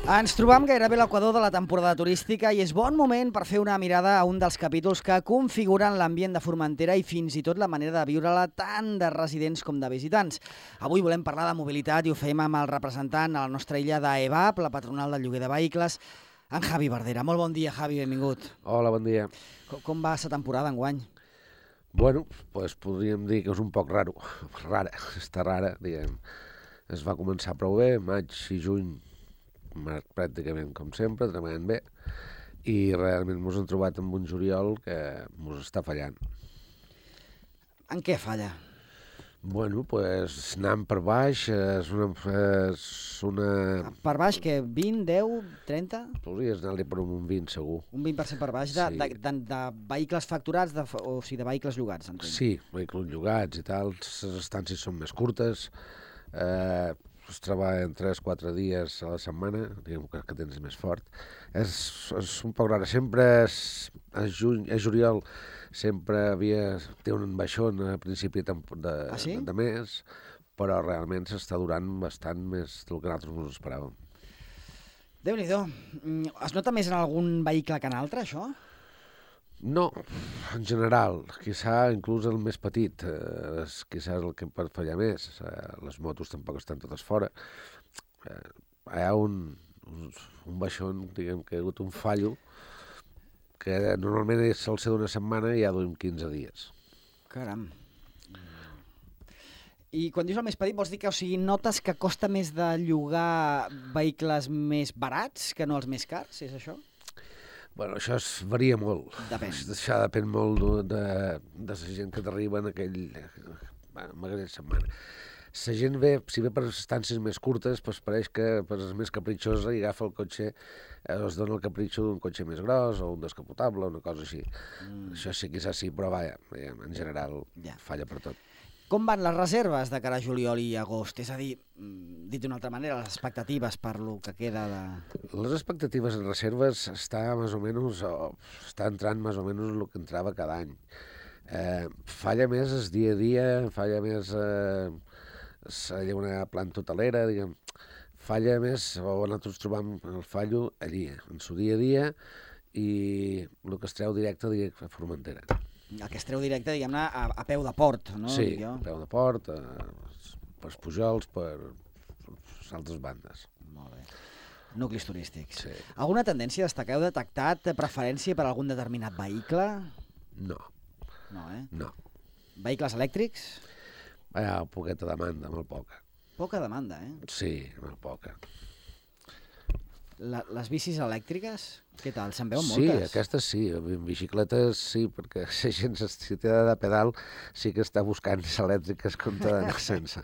Ens trobam gairebé a l'equador de la temporada turística i és bon moment per fer una mirada a un dels capítols que configuren l'ambient de Formentera i fins i tot la manera de viure-la tant de residents com de visitants. Avui volem parlar de mobilitat i ho fem amb el representant a la nostra illa d'EVAP, la patronal del lloguer de vehicles, en Javi Verdera. Molt bon dia, Javi, benvingut. Hola, bon dia. Com va la temporada enguany? Bueno, pues podríem dir que és un poc rara, diguem. Es va començar prou bé, maig i juny, pràcticament com sempre, treballant bé, i realment ens hem trobat amb un juliol que ens està fallant. En què falla? Bueno, pues anant per baix, és una... Per baix, què? 20, 10, 30? Podries anar-li per un 20, segur. Un 20% per baix de vehicles facturats, o sigui, de vehicles llogats, entenc. Sí, vehicles llogats i tal, les estàncies són més curtes, es treballa en 3-4 dies a la setmana, diguem que tens més fort. És un poc rara. Sempre a juliol sempre té un baixón a principi de mes, però realment s'està durant bastant més del que nosaltres ens esperàvem. Déu-n'hi-do. Es nota més en algun vehicle que en altre, això? No, en general, quizà inclús el més petit, quizà és el que pot fallar més. Les motos tampoc estan totes fora. Hi ha un baixón, diguem que hi ha hagut un fallo, que normalment sol ser d'una setmana i ja duim 15 dies. Caram. I quan dius el més petit, vols dir que notes que costa més de llogar vehicles més barats que no els més cars, és això? Bueno, això varia molt. Depèn. Això depèn molt de la gent que t'arriba en aquella setmana. La gent ve, si ve per estàncies més curtes, doncs pareix que per és més capritxosa i agafa el cotxe, es dona el capritxo d'un cotxe més gros o un descapotable, una cosa així. Això sí, quizás sí, però vaja, en general falla per tot. Com van les reserves de cara a juliol i agost? És a dir, dit d'una altra manera, les expectatives per lo que queda de... Les expectatives en reserves està entrant més o menys el que entrava cada any. Falla més el dia a dia, falla més una planta hotelera, diguem, falla més, o nosaltres trobam el fallo allí, en su dia a dia, i el que es treu directe a Formentera. El que es treu directe, diguem-ne, a peu de port, no? Sí, a peu de port, per Pujols, per altres bandes. Molt bé. Nuclis turístics. Sí. Alguna tendència a destacar? Heu detectat preferència per algun determinat vehicle? No. No, No. Vehicles elèctrics? Hi ha poqueta demanda, molt poca. Poca demanda, Sí, molt poca. Les bicis elèctriques, què tal? Se'n veuen Sí, moltes? aquestes sí, en bicicletes sí, perquè la gent, si té de pedal, sí que està buscant elèctriques com d'anar sense.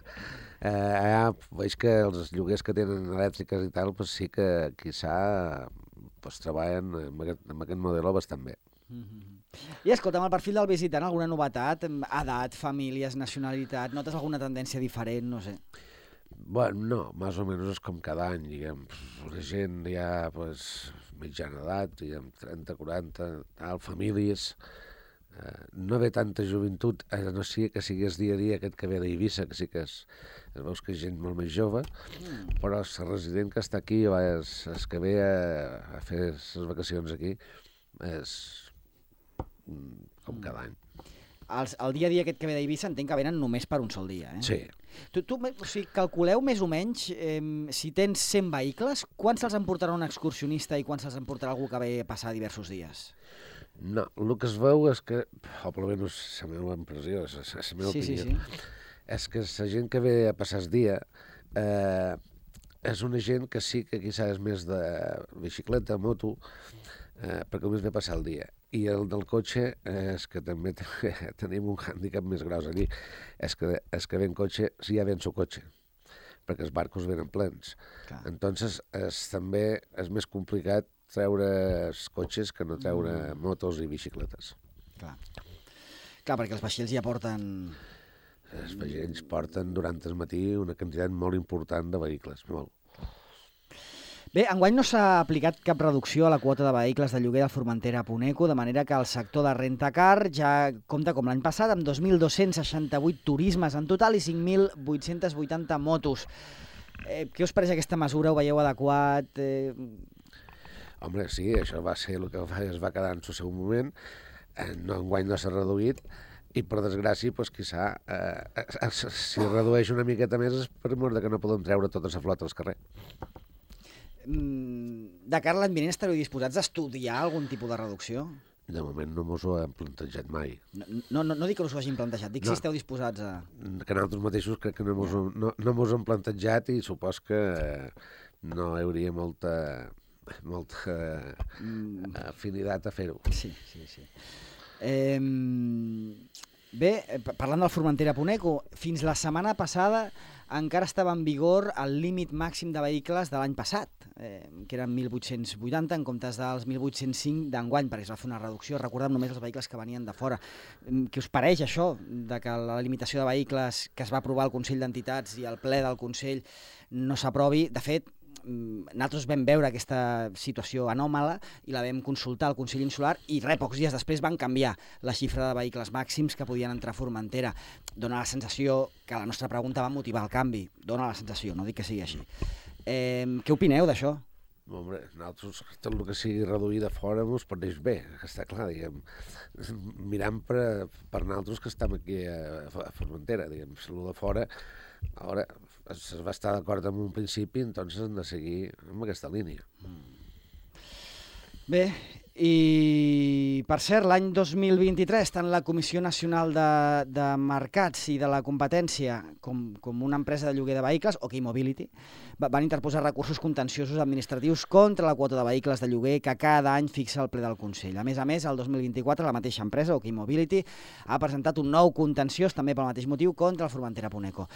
Veig que els lloguers que tenen elèctriques i tal, pues sí que quizà treballen amb aquest model bastant bé. I escolta'm, el perfil del visitant, alguna novetat? Edat, famílies, nacionalitat, notes alguna tendència diferent, no sé? Bueno, no, més o menys és com cada any, diguem, la gent ja, mitjana edat, diguem, 30, 40, famílies, no ve tanta joventut, no sigui que sigués dia a dia aquest que ve d'Eivissa, que sí que veus que és gent molt més jove, però el resident que està aquí, el que ve a fer les vacacions aquí, és com cada any. El dia a dia aquest que ve d'Eivissa entenc que venen només per un sol dia, Sí. O sigui, calculeu més o menys, si tens 100 vehicles, quants se'ls emportarà un excursionista i quants se'ls emportarà algú que ve a passar diversos dies? No, el que es veu és que, o almenys la meva impressió, la meva opinió, és que la gent que ve a passar el dia és una gent que sí que quizà és més de bicicleta, moto, perquè només ve a passar el dia. I el del cotxe és que també tenim un hàndicap més gros allí. És que ve en cotxe, si ja ve en seu cotxe, perquè els barcos venen plens. Entonces també és més complicat treure els cotxes que no treure motos i bicicletes. Clar, perquè els vaixells ja porten... Els vaixells porten durant el matí una quantitat molt important de vehicles, molt. Bé, enguany no s'ha aplicat cap reducció a la quota de vehicles de lloguer de Formentera a Puneco, de manera que el sector de rentacar ja compta com l'any passat amb 2.268 turismes en total i 5.880 motos. Què us pareix aquesta mesura? Ho veieu adequat? Home, sí, això va ser el que es va quedar en el seu moment. Enguany no s'ha reduït i, per desgràcia, doncs, quizà, si redueix una miqueta més és per mort que no podem treure tota la flota al carrer. De cara a l'any vinent estareu disposats a estudiar algun tipus de reducció? De moment no mos ho hem plantejat mai. No dic que us ho hagin plantejat, dic si esteu disposats a... Que nosaltres mateixos crec que no mos ho hem plantejat i supos que no hi hauria molta afinitat a fer-ho. Sí. Bé, parlant del Formentera-Puneco, fins la setmana passada encara estava en vigor el límit màxim de vehicles de l'any passat, que eren 1.880 en comptes dels 1.805 d'enguany, perquè es va fer una reducció, recordem només els vehicles que venien de fora. Què us pareix això, de que la limitació de vehicles que es va aprovar al Consell d'Entitats i al ple del Consell no s'aprovi? De fet, nosaltres vam veure aquesta situació anòmala i la vam consultar al Consell Insular i pocs dies després van canviar la xifra de vehicles màxims que podien entrar a Formentera. Dóna la sensació que la nostra pregunta va motivar el canvi. Dóna la sensació, no dic que sigui així. Què opineu d'això? Home, nosaltres tot el que sigui reduït de fora ens pareix bé, està clar, diguem. Mirant per nosaltres que estem aquí a Formentera, diguem, el de fora, ara es va estar d'acord amb un principi, doncs hem de seguir amb aquesta línia. Bé, i per cert, l'any 2023, tant la Comissió Nacional de Mercats i de la Competència com una empresa de lloguer de vehicles, OK Mobility, van interposar recursos contenciosos administratius contra la quota de vehicles de lloguer que cada any fixa el ple del Consell. A més, el 2024, la mateixa empresa, OK Mobility, ha presentat un nou contenciós, també pel mateix motiu, contra el Formentera-Puneco.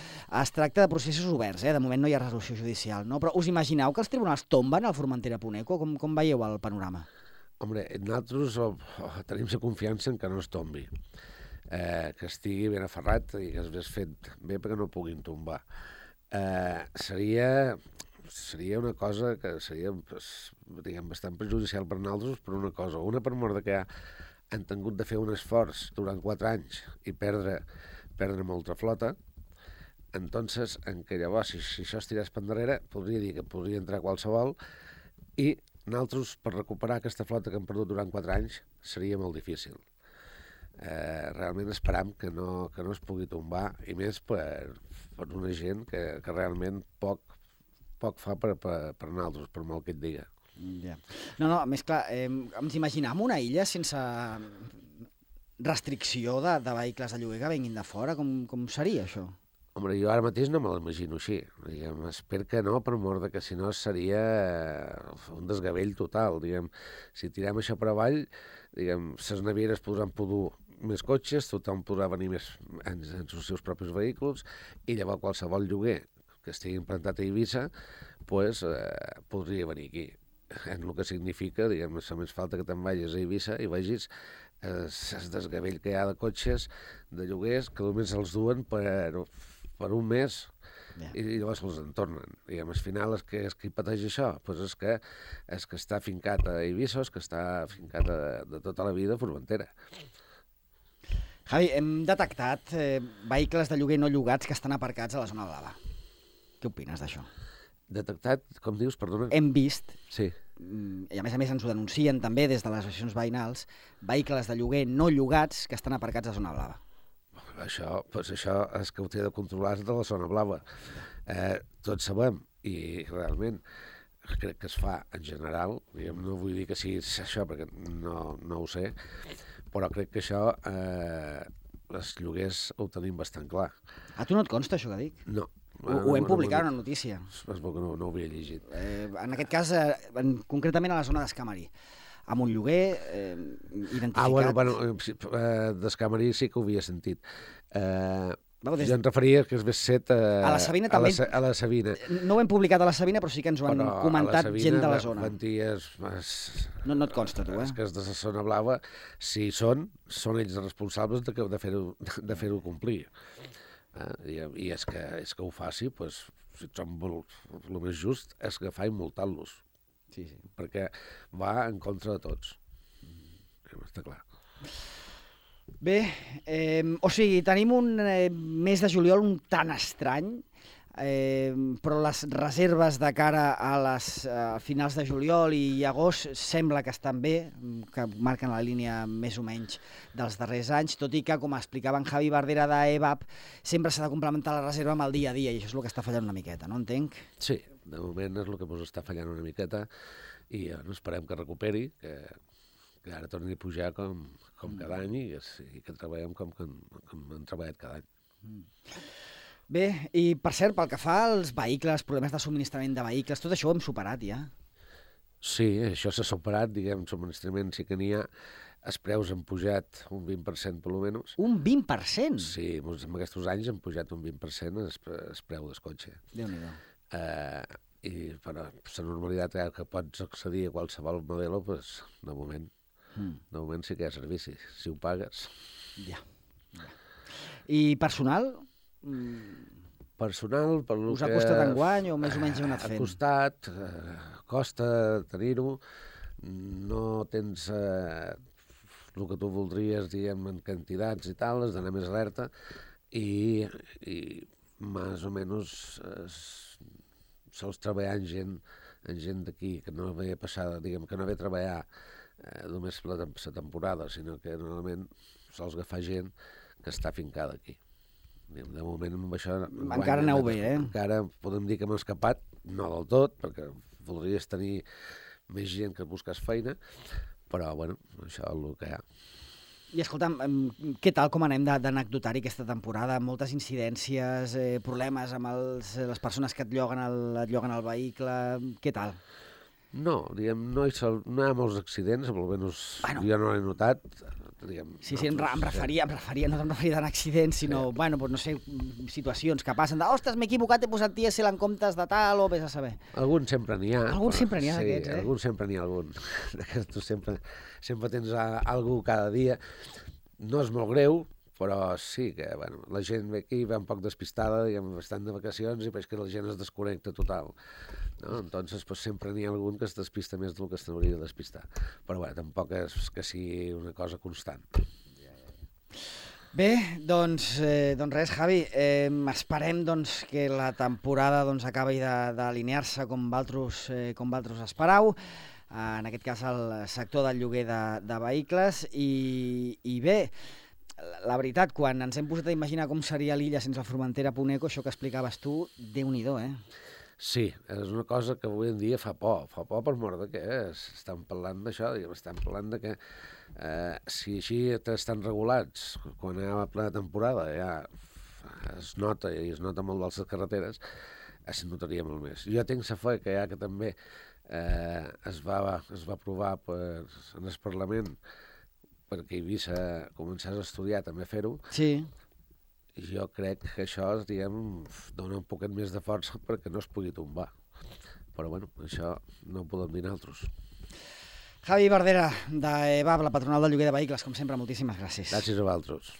Es tracta de processos oberts, de moment no hi ha resolució judicial, no? Però us imagineu que els tribunals tomben el Formentera-Puneco? Com veieu el panorama? Home, nosaltres tenim la confiança en que no es tombi, que estigui ben aferrat i que es vés fet bé perquè no puguin tombar. Seria una cosa que seria, diguem, bastant perjudicial per nosaltres per una cosa. Una, per mort que han tingut de fer un esforç durant 4 anys i perdre molta flota. Entonces, en què llavors, si això es tirés per darrere, podria dir que podria entrar qualsevol i nosaltres, per recuperar aquesta flota que hem perdut durant 4 anys, seria molt difícil. Realment esperam que no es pugui tombar, i més per una gent que realment poc fa per nosaltres, per molt que et diga. Ja. No, més clar, ens imaginem una illa sense restricció de vehicles de lloguer que venguin de fora? Com seria això? Home, jo ara mateix no me l'imagino així. Diguem, espero que no, per mort que si no seria un desgavell total. Diguem, si tirem això per avall, diguem, les navieres podran podur més cotxes, tothom podrà venir més en els seus propis vehicles, i llavors qualsevol lloguer que estigui implantat a Eivissa podria venir aquí. En el que significa, diguem, només falta que te'n vagis a Eivissa i vegis el desgavell que hi ha de cotxes, de lloguers, que només els duen per un mes i llavors els en tornen. Diguem, al final, el que pateix això és que està fincat a Eivissa, que està fincat de tota la vida a Formentera. Javi, hem detectat vehicles de lloguer no llogats que estan aparcats a la zona blava. Què opines d'això? Detectat, com dius, perdona? Hem vist, sí. I a més ens ho denuncien també des de les associacions veïnals, vehicles de lloguer no llogats que estan aparcats a zona blava. Això és que ho té de controlar de la zona blava. Tots sabem, i realment crec que es fa en general, no vull dir que sigui això perquè no ho sé, però crec que això els lloguers ho tenim bastant clar. A tu no et consta això que dic? No. Ho hem publicat en una notícia. És bo que no ho havia llegit. En aquest cas, concretament a la zona d'Escamarí, amb un lloguer identificat... d'Escamarí sí que ho havia sentit. Jo em referia que es ves set a la Sabina també. A la Sabina. No ho hem publicat a la Sabina, però sí que ens ho han comentat gent de la zona. No et consta, tu, És que és de la zona blava, si són ells els responsables de fer-ho complir. I és que ho faci, si et som el més just, és que fa i multar-los. Sí. Perquè va en contra de tots. Està clar. Bé, o sigui, tenim un mes de juliol un tan estrany. però les reserves de cara a les finals de juliol i agost sembla que estan bé, que marquen la línia més o menys dels darrers anys, tot i que, com explicava en Javi Bardera d'EVAP, sempre s'ha de complementar la reserva amb el dia a dia, i això és el que està fallant una miqueta, no entenc? Sí, de moment és el que ens està fallant una miqueta, i esperem que recuperi, que ara torni a pujar com cada any, i que treballem com hem treballat cada any. Bé, i per cert, pel que fa als vehicles, problemes de subministrament de vehicles, tot això ho hem superat ja. Sí, això s'ha superat, diguem, subministrament sí que n'hi ha. Els preus han pujat un 20% per almenys. Un 20%? Sí, en aquests anys han pujat un 20% el preu del cotxe. Déu-n'hi-do. I per la normalitat que pots accedir a qualsevol model, doncs, de moment sí que hi ha servici, si ho pagues. Ja. I personal? Personal, per us ha costat enguany o més o menys heu anat fent? Ha costat, costa tenir-ho, no tens el que tu voldries, diguem, en quantitats i tal, has d'anar més alerta, i més o menys sols treballar amb gent d'aquí, que no ve passada, diguem, que no ve a treballar només la temporada, sinó que normalment sols agafar gent que està fincada aquí. De moment amb això... Encara aneu bé, Encara podem dir que hem escapat, no del tot, perquè voldries tenir més gent que busques feina, però, bueno, això és el que hi ha. I escolta'm, què tal, com anem d'anecdotari aquesta temporada? Moltes incidències, problemes amb les persones que et lloguen el vehicle, què tal? No, diguem, no hi ha molts accidents, almenys jo no l'he notat. Diguem, sí, em referia, no em referia a accidents, sinó, bueno, no sé, situacions que passen de, ostres, m'he equivocat, he posat dièsel en comptes de tal, o vés a saber. Algun sempre n'hi ha. Algun sempre n'hi ha d'aquests, Sí, algun sempre n'hi ha algun. Tu sempre tens algú cada dia. No és molt greu, però sí que, bueno, la gent ve aquí, va un poc despistada, diguem, estan de vacacions i veig que la gent es desconnecta total. No? Entonces, pues, sempre n'hi ha algun que es despista més del que s'hauria de despistar. Però bé, tampoc és que sigui una cosa constant. Bé, doncs res, Javi, esperem que la temporada acabi d'alinear-se com vosaltres esperau, en aquest cas el sector del lloguer de vehicles, i bé, la veritat, quan ens hem posat a imaginar com seria l'illa sense el Formentera.eco, això que explicaves tu, Déu-n'hi-do, Sí, és una cosa que avui en dia fa por per mort de què estan parlant d'això, estan parlant de que si així estan regulats, quan hi ha plena temporada ja es nota, i es nota molt a les carreteres, es notaria molt més. Jo tinc la fe que ja que també es va aprovar en el Parlament perquè Eivissa començés a estudiar també fer-ho. Sí. Jo crec que això, diguem, dona un poquet més de força perquè no es pugui tombar. Però, bueno, això no ho podem dir nosaltres. Javi Bardera, d'EVAP, la patronal del lloguer de vehicles, com sempre, moltíssimes gràcies. Gràcies a vosaltres.